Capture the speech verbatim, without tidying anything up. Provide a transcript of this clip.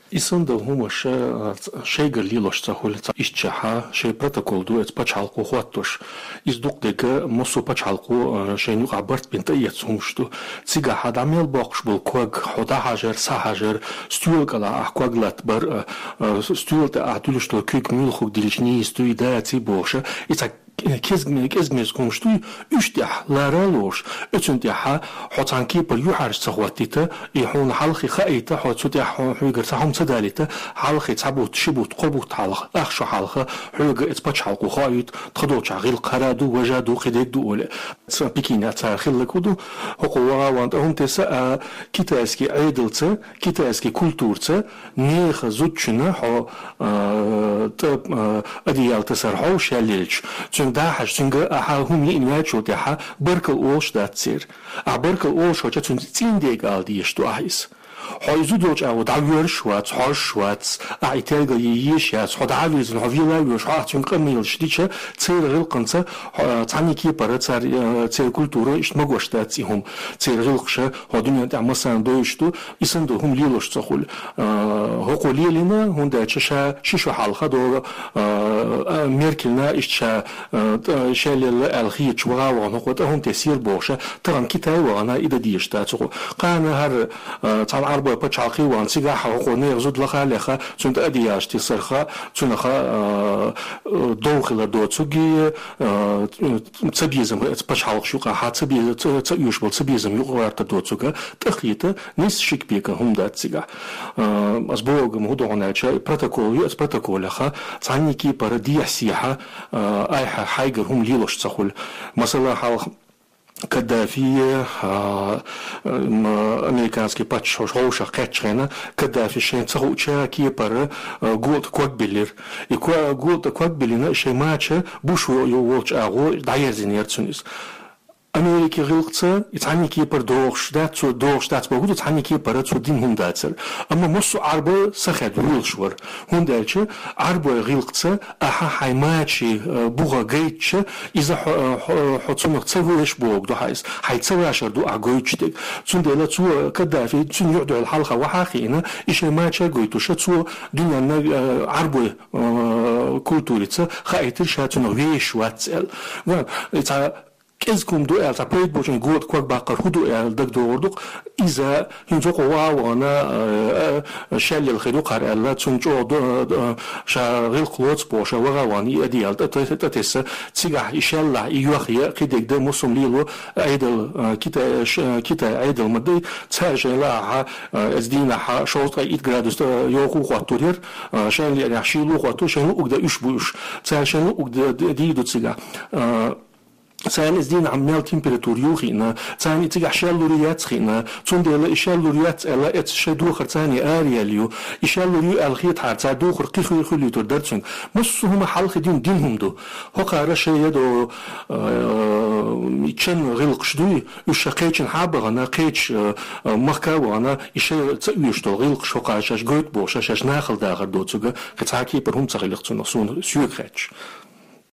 И санна дола хӀума шоай, а, шоайгара лелаш ца хуьлу, цхьа иштта шаьш шоай протокол ду эцу пачхьалкхо хӀоттош. Иза дукха дерг массо а пачхьалкхо, а, шайна юкъахь барт бина тӀеэцна хӀумаш ду. Цигахь хьан дӀа мел боккхуш болу ког, хьо дӀахьажар, схьахьажар, стоьла кӀелахь ахь ког латтабар, а, а, стоьла тӀе ахь дуьллуш долу куьг муьлханиг диллича нийса дуй, даций бохуш, и цхьа кӀезиг-, кӀезиг-мезиг хӀумаш дуй, уьш тӀехь лара а лоруш, оцунна тӀехь хьо цхьана кепара юьхьӀаьржа ца хӀоттийта, и хьуна хьалхе хаийта, хьо цу тӀехь хьо-, хьоьгара цхьа хӀума ца далийта, хьалхе цхьа бутт, ши бутт, кхо бутт хьалха, ах шо хьалха, хьоьга эцу пачхьалкхо хоуьйту, тхо долчохь гӀиллакх хӀара ду, важа ду, кхидерг ду олий. Сан Пекинехь цара хилларг хӀун ду, хӀокхо ваха а ван тӀе хӀума тесса, а, китайский Ӏедалца, китайский культураца, нехан зудчунна хьо, а, тӀе, а, одеял тасар хьовш яьллачу, цуьнга дахьаш, цуьнга ахьа хӀума йиъна ваьчул тӀаьхьа баркалла олуш дац церан. Ахьа баркалла олуш хилча, цуьнца цӀийндерг ала дезаш ду ахьа иза. Хьо иза зудчу агӀо дӀавоьрзуш вац, хьожуш вац, ахьа и тергал е езаш яц, хьо дӀа а вирзина, хьо вела а воьдуш, хьо ахьа цуьнга къамелаш дича, церан гӀиллакханца, хьо, цхьана кепара цара, э, церан культура иштта магош дац и хӀума. Церан гӀиллакхаша хьо дуьнен тӀехь массарна довзуш ду, и санна долу хӀума лелаш ца хуьлу. Э, хӀокхо лелийна, хӀунда аьлча ша ши шо хьалха догӀу, э, э, Меркельна иштта ша, э, тӀе, шел елла аьлла хеташ ваха а вахана хӀокхо тӀе хӀума тесира бохуш, тахана Китай вахана и дан дезаш дац хӀокхо. Кхана хӀара, э, цхьана Ӏарбойн пачхьалкхе вахана, цигахь хӀокхо нехан зуда лаха а леха, цуьнан тӀе одеялаш тесарх, цунах, э, э, дов хилар доцург, э, цабезам, пачхьалкхаш юкъахь ца бе-, ца, ца оьшуш болу цабезам юкъагӀертар доцург, тӀекхета, нийса шик бекан хӀума дац цигахь. Э, ас бохург-м хӀун ду хьуна аьлча, и протокол ю, аса протоколех цхьана кепара дехьа-сехьа, э, айхьа хьайгара хӀума лелаш ца хуьлу. Масала, хьалха Каддафи, а, м, американский паччахьаш хьовшах кхаьччахьана, Каддафи шайна ца хууча кепара, а, гултӀа ког биллира. И ко-, гултӀа ког биллина, шайн мача Буш во-, йо-, волчу агӀо дӀаерзийнера цунна иза. Америкин гӀиллакхца и цхьана кепара догӀуш дац, цо догӀуш дац бохург ду, цхьана кепара цо дина хӀума дацара. Амма массо а Ӏарбой сахед вуьйлуш вара. ХӀунда аьлча Ӏарбойн гӀиллакхца ахьа хьайн мачийн, э, бухах гайтча, иза хьо, э, хьо, хьо цунах ца веш бохург ду хьан иза. Хьайн ца вашар ду ахь гойтуш дерг. Цундела цо, Каддафи, цуьнан юьхь-дуьхьал хьалха вахьа а хиъна, и шайн мача а гойтуш, цо дуьненна, э, Ӏарбойн, э, культурица хаийтира ша цунах вешаш вац аьлла. Ва, и цхьа кӀезиг хӀума ду аьлла, цхьа пайда болчун гултӀа ког баккхар хӀун ду аьлла дагадогӀур ду-кх. Иза хӀинца хӀокхо ваха а вахана, э, э, шел елла хир ю-кх хӀара аьлла, цунна чӀогӀа ду-, э, ша гӀиллакх лоцу бохуш, ваха а вахана, и одеял тӀе-, тӀе-, тӀетесса, цигахь и шеллахь, и йохъян, кхидерг дан, муьлш-м лело, Ӏедал, э, Китай, ш-, э, Китай Ӏедал ма дай, цара шайна лаахь, э, эцу дийнахь шовзткъе итт градус тӀе йовха а хӀоттур яра, э, шайна лаахь шийла а хӀоттур, шайна луъург дан уьш бу уьш. Цара шайна луъург д-, д-, дийр ду цигахь. Э, Царна эцу дийнахь мел температура ю хиъна, царна и цигахь шел лур яц хиъна, цундела и шел лур яц аьлла, эцу шайн духар царна ара яьлла ю. И шел лур ю аьлла хетахьара, цара духар кхин хи-, хуьлуьйтур дара цуьнга. Массо а хӀума хьалха дина дина хӀума ду. ХӀокхара шайн ядо, э, чан гӀиллакхаш дуй, уьш ша кхечанхьа а бахана, кхечу, э, махка а вахана, и шайн ца оьшуш долу гӀиллакхаш хӀокхара шаьш гойту бохуш, шаьш нахала дахар доцург, кхин цхьа а кепара хӀума ца хилира цунах, суна соьга хаьттича.